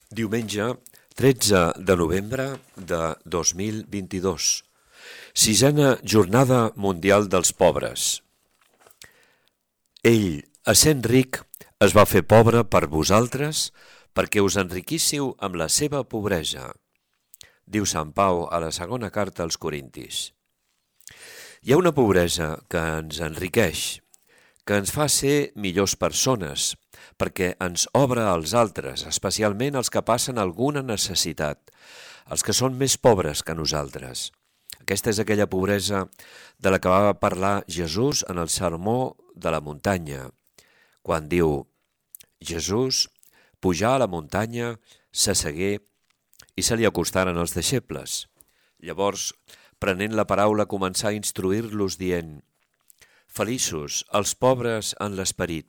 Diumenge 13 de novembre de 2022, sisena Jornada Mundial dels Pobres. Ell, essent ric, es va fer pobre per vosaltres perquè us enriquíssiu amb la seva pobresa, diu Sant Pau a la segona carta als Corintis. Hi ha una pobresa que ens enriqueix, que ens fa ser millors persones, perquè ens obre als altres, especialment als que passen alguna necessitat, els que són més pobres que nosaltres. Aquesta és aquella pobresa de la que va parlar Jesús en el sermó de la muntanya, quan diu: Jesús pujà a la muntanya, s'assegué i se li acostaren els deixebles. Llavors, prenent la paraula, començà a instruir-los dient: Feliços els pobres en l'esperit,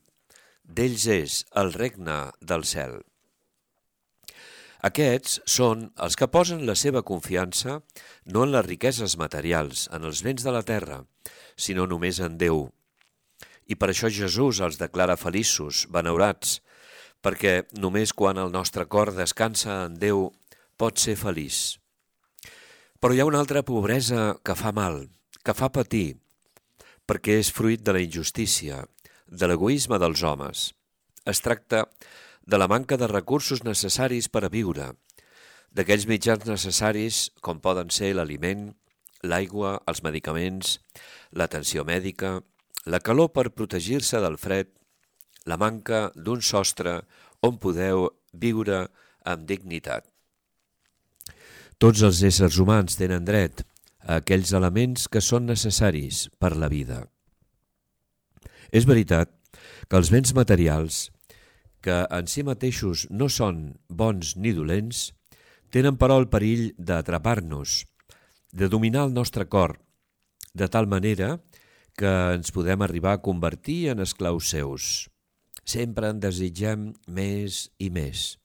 d'ells és el regne del cel. Aquests són els que posen la seva confiança no en les riqueses materials, en els béns de la terra, sinó només en Déu. I per això Jesús els declara feliços, benaurats, perquè només quan el nostre cor descansa en Déu pot ser feliç. Però hi ha una altra pobresa que fa mal, que fa patir, perquè és fruit de la injustícia, de l'egoisme dels homes. Es tracta de la manca de recursos necessaris per a viure, d'aquells mitjans necessaris com poden ser l'aliment, l'aigua, els medicaments, l'atenció mèdica, la calor per protegir-se del fred, la manca d'un sostre on podeu viure amb dignitat. Tots els éssers humans tenen dret a aquells elements que són necessaris per la vida. És veritat que els béns materials, que en si mateixos no són bons ni dolents, tenen però el perill d'atrapar-nos, de dominar el nostre cor, de tal manera que ens podem arribar a convertir en esclaus seus. Sempre en desitgem més i més.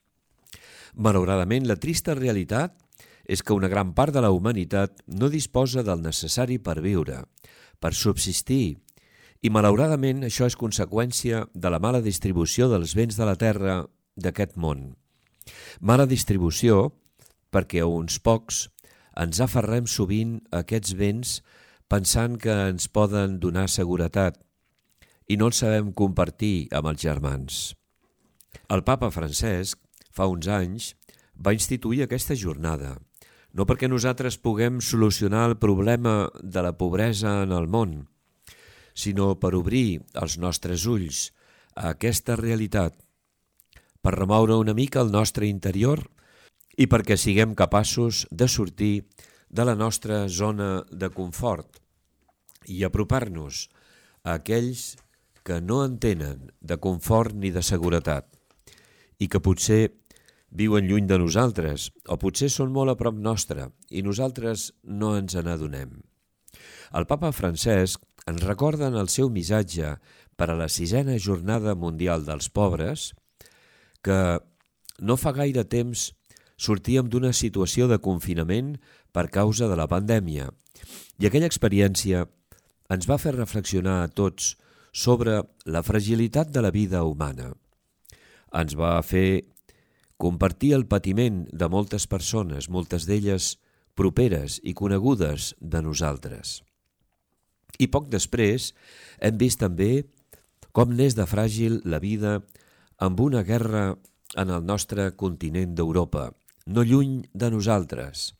Malauradament, la trista realitat és que una gran part de la humanitat no disposa del necessari per viure, per subsistir, i malauradament això és conseqüència de la mala distribució dels béns de la terra d'aquest món. Mala distribució perquè a uns pocs ens aferrem sovint a aquests béns pensant que ens poden donar seguretat i no els sabem compartir amb els germans. El papa Francesc, fa uns anys, va instituir aquesta jornada, no perquè nosaltres puguem solucionar el problema de la pobresa en el món, sinó per obrir els nostres ulls a aquesta realitat, per remoure una mica el nostre interior i perquè siguem capaços de sortir de la nostra zona de confort i apropar-nos a aquells que no en tenen de confort ni de seguretat i que potser viuen lluny de nosaltres o potser són molt a prop nostre i nosaltres no ens n'adonem. El papa Francesc ens recorda en el seu missatge per a la sisena Jornada Mundial dels Pobres que no fa gaire temps sortíem d'una situació de confinament per causa de la pandèmia i aquella experiència ens va fer reflexionar a tots sobre la fragilitat de la vida humana. Ens va fer compartir el patiment de moltes persones, moltes d'elles properes i conegudes de nosaltres. I poc després hem vist també com n'és de fràgil la vida amb una guerra en el nostre continent d'Europa, no lluny de nosaltres,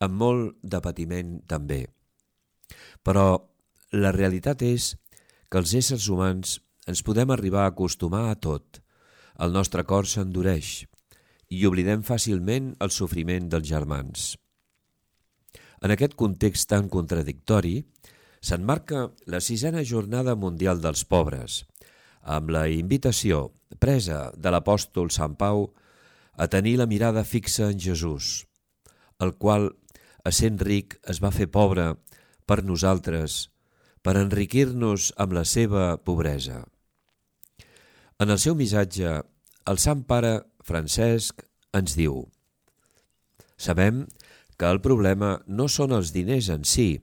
amb molt de patiment també. Però la realitat és que els éssers humans ens podem arribar a acostumar a tot. El nostre cor s'endureix i oblidem fàcilment el sofriment dels germans. En aquest context tan contradictori, s'emmarca la sisena Jornada Mundial dels Pobres, amb la invitació presa de l'apòstol Sant Pau a tenir la mirada fixa en Jesús, el qual, essent ric, es va fer pobre per nosaltres, per enriquir-nos amb la seva pobresa. En el seu missatge, el Sant Pare Francesc ens diu: Sabem que el problema no són els diners en si,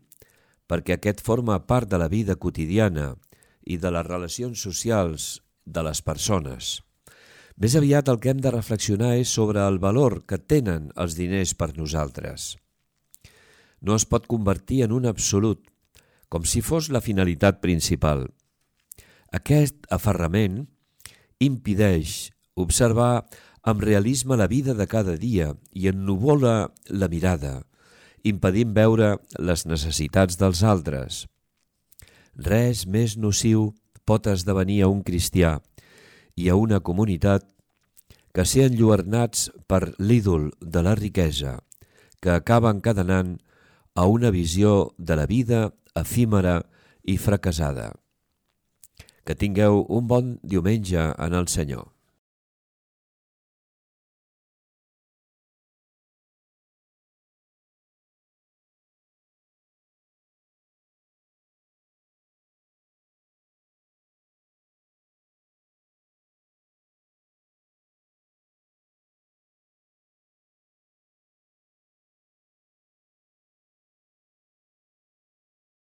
perquè aquest forma part de la vida quotidiana i de les relacions socials de les persones. Més aviat el que hem de reflexionar és sobre el valor que tenen els diners per nosaltres. No es pot convertir en un absolut, com si fos la finalitat principal. Aquest aferrament impedeix observar amb realisme la vida de cada dia i ennuvola la mirada, impedint veure les necessitats dels altres. Res més nociu pot esdevenir a un cristià i a una comunitat que ser enlluernats per l'ídol de la riquesa, que acaba encadenant a una visió de la vida efímera i fracassada. Que tingueu un bon diumenge en el Senyor.